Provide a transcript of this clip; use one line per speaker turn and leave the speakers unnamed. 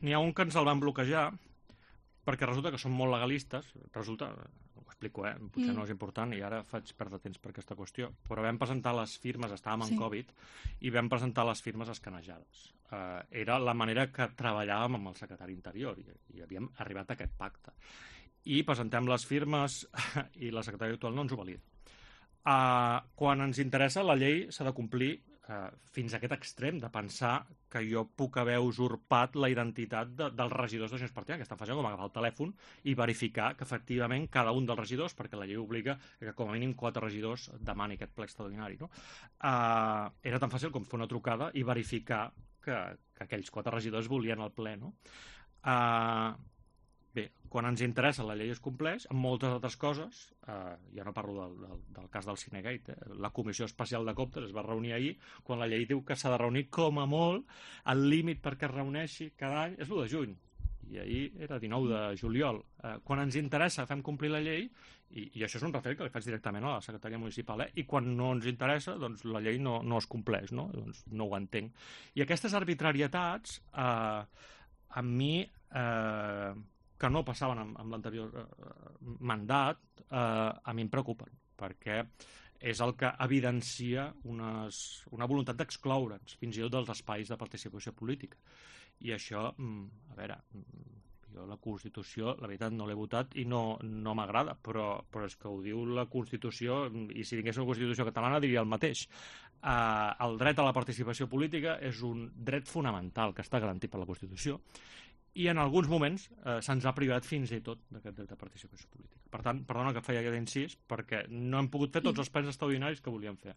N'hi ha un que ens el van bloquejar perquè resulta que són molt legalistes, resulta, ho explico, potser no és important i ara faig perdre temps per aquesta qüestió, però vam presentar les firmes, estàvem en Covid, i vam presentar les firmes escanejades. Era la manera que treballàvem amb el secretari Interior i havíem arribat a aquest pacte. I presentem les firmes i la secretària actual no ens ho valida. Quan ens interessa, la llei s'ha de complir fins a aquest extrem de pensar que jo puc haver usurpat la identitat dels regidors de Junts per Catalunya, que estan facin com agafar el telèfon i verificar que efectivament cada un dels regidors, perquè la llei obliga que com a mínim 4 regidors demani aquest ple extraordinari, no? Era tan fàcil com fer una trucada i verificar que aquells 4 regidors volien el ple, no? Bé, quan ens interessa la llei es compleix, amb moltes altres coses, ja no parlo del cas del Cinegate, la Comissió Especial de Comptes es va reunir ahir, quan la llei diu que s'ha de reunir com a molt, el límit perquè es reuneixi cada any és l'1 de juny, i ahir era 19 de juliol. Quan ens interessa fem complir la llei, i això és un retret que li faig directament a la secretària municipal, i quan no ens interessa, doncs la llei no es compleix, no? Doncs no ho entenc. I aquestes arbitrarietats, a mi... que no passaven amb l'anterior mandat, a mi em preocupen, perquè és el que evidencia una voluntat d'excloure'ns, fins i tot dels espais de participació política. I això, a veure, jo la Constitució, la veritat, no l'he votat i no m'agrada, però és que ho diu la Constitució, i si tingués una Constitució catalana diria el mateix. El dret a la participació política és un dret fonamental que està garantit per la Constitució, i en alguns moments se'ns ha privat fins i tot d'aquest dret de participació política. Per tant, perdona que feia aquest incís, perquè no hem pogut fer tots els plens extraordinaris que volíem fer.